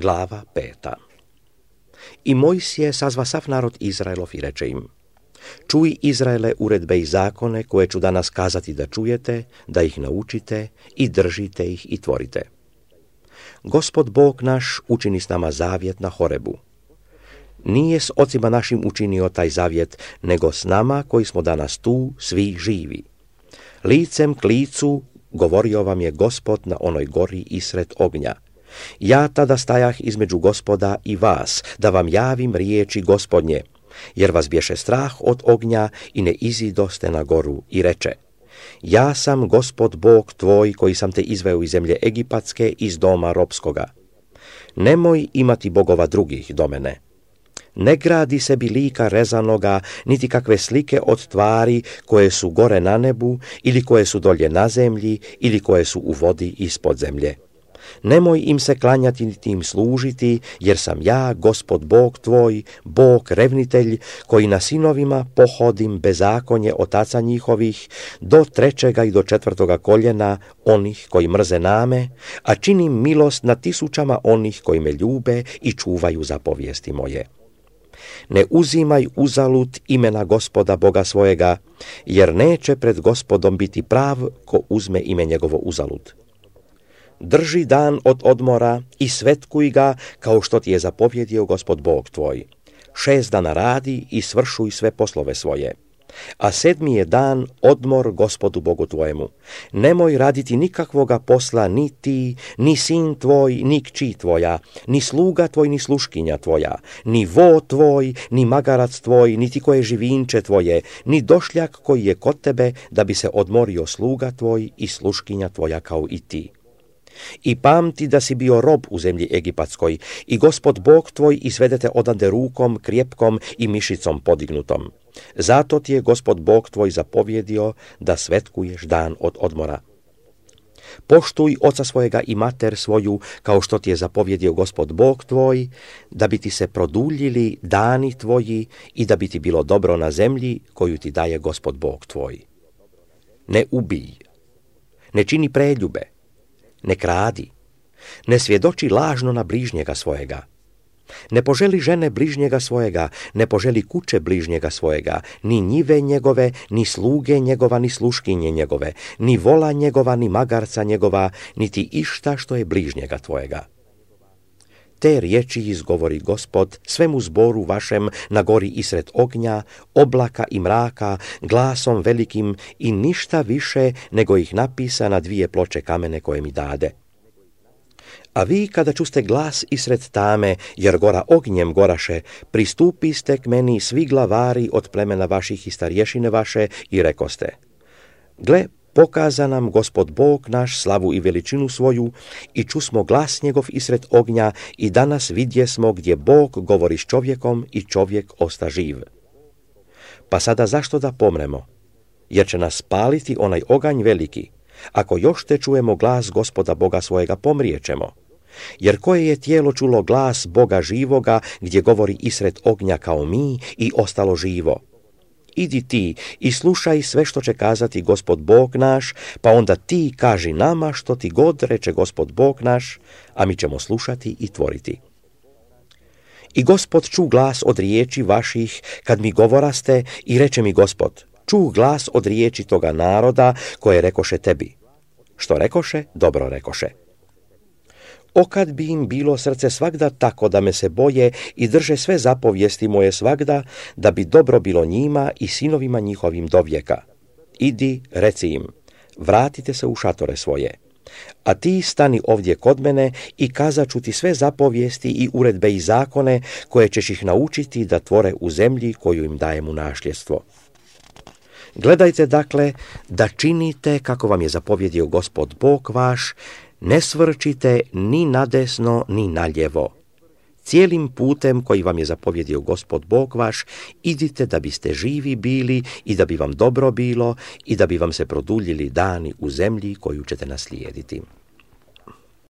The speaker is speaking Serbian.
Glava 5. I Mojsije sazva sav narod Izraelov i reče im: Čuj, Izraele, uredbe i zakone koje ću danas kazati da čujete, da ih naučite i držite ih i tvorite. Gospod Bog naš učini s nama zavjet na Horebu. Nije s ocima našim učinio taj zavjet, nego s nama koji smo danas tu svi živi. Licem k licu govorio vam je Gospod na onoj gori isred ognja. Ja tada stajah između Gospoda i vas, da vam javim riječi Gospodnje, jer vas bješe strah od ognja i ne izidoste na goru, i reče: Ja sam Gospod Bog tvoj koji sam te izveo iz zemlje Egipatske, iz doma ropskoga. Nemoj imati bogova drugih do mene. Ne gradi sebi lika rezanoga, niti kakve slike od tvari koje su gore na nebu, ili koje su dolje na zemlji, ili koje su u vodi ispod zemlje. Nemoj im se klanjati niti im služiti, jer sam ja, Gospod Bog tvoj, Bog revnitelj, koji na sinovima pohodim bezakonje otaca njihovih, do 3. i do 4. koljena onih koji mrze name, a činim milost na 1000 onih koji me ljube i čuvaju zapovijesti moje. Ne uzimaj uzalud imena Gospoda Boga svojega, jer neće pred Gospodom biti prav ko uzme ime njegovo uzalud. Drži dan od odmora i svetkuj ga kao što ti je zapovjedio Gospod Bog tvoj. 6 dana radi i svršuj sve poslove svoje. A 7. je dan odmor Gospodu Bogu tvojemu. Nemoj raditi nikakvoga posla ni ti, ni sin tvoj, ni kći tvoja, ni sluga tvoj, ni sluškinja tvoja, ni vo tvoj, ni magarac tvoj, niti koje živinče tvoje, ni došljak koji je kod tebe, da bi se odmorio sluga tvoj i sluškinja tvoja kao i ti. I pamti da si bio rob u zemlji Egipatskoj i Gospod Bog tvoj izvedete odande rukom, krjepkom i mišicom podignutom. Zato ti je Gospod Bog tvoj zapovjedio da svetkuješ dan od odmora. Poštuj oca svojega i mater svoju, kao što ti je zapovjedio Gospod Bog tvoj, da bi ti se produljili dani tvoji i da bi ti bilo dobro na zemlji koju ti daje Gospod Bog tvoj. Ne ubij, ne čini preljube, ne kradi, ne svjedoči lažno na bližnjega svojega. Ne poželi žene bližnjega svojega, ne poželi kuće bližnjega svojega, ni njive njegove, ni sluge njegova, ni sluškinje njegove, ni vola njegova, ni magarca njegova, niti išta što je bližnjega tvojega. Te riječi izgovori Gospod svemu zboru vašem na gori isred ognja, oblaka i mraka, glasom velikim i ništa više nego ih napisa na 2 ploče kamene koje mi dade. A vi kada čuste glas isred tame, jer gora ognjem goraše, pristupiste k meni svi glavari od plemena vaših i starješine vaše i rekoste: Gle, pokaza nam Gospod Bog naš slavu i veličinu svoju i čusmo glas njegov isred ognja i danas vidjesmo gdje Bog govori s čovjekom i čovjek osta živ. Pa sada zašto da pomremo? Jer će nas spaliti onaj oganj veliki. Ako još te čujemo glas Gospoda Boga svojega, pomrijećemo. Jer koje je tijelo čulo glas Boga živoga gdje govori isred ognja kao mi i ostalo živo? Idi ti i slušaj sve što će kazati Gospod Bog naš, pa onda ti kaži nama što ti god reče Gospod Bog naš, a mi ćemo slušati i tvoriti. I Gospod ču glas od riječi vaših kad mi govoraste i reče mi Gospod: Ču glas od riječi toga naroda koje rekoše tebi. Što rekoše, dobro rekoše. O kad bi im bilo srce svagda tako da me se boje i drže sve zapovijesti moje svagda, da bi dobro bilo njima i sinovima njihovim do vijeka. Idi, reci im: Vratite se u šatore svoje. A ti stani ovdje kod mene i kazat ću ti sve zapovijesti i uredbe i zakone koje ćeš ih naučiti da tvore u zemlji koju im dajem u nasljedstvo. Gledajte dakle da činite kako vam je zapovjedio Gospod Bog vaš, ne svrčite ni nadesno ni naljevo. Cijelim putem koji vam je zapovjedio Gospod Bog vaš, idite da biste živi bili i da bi vam dobro bilo i da bi vam se produljili dani u zemlji koju ćete naslijediti.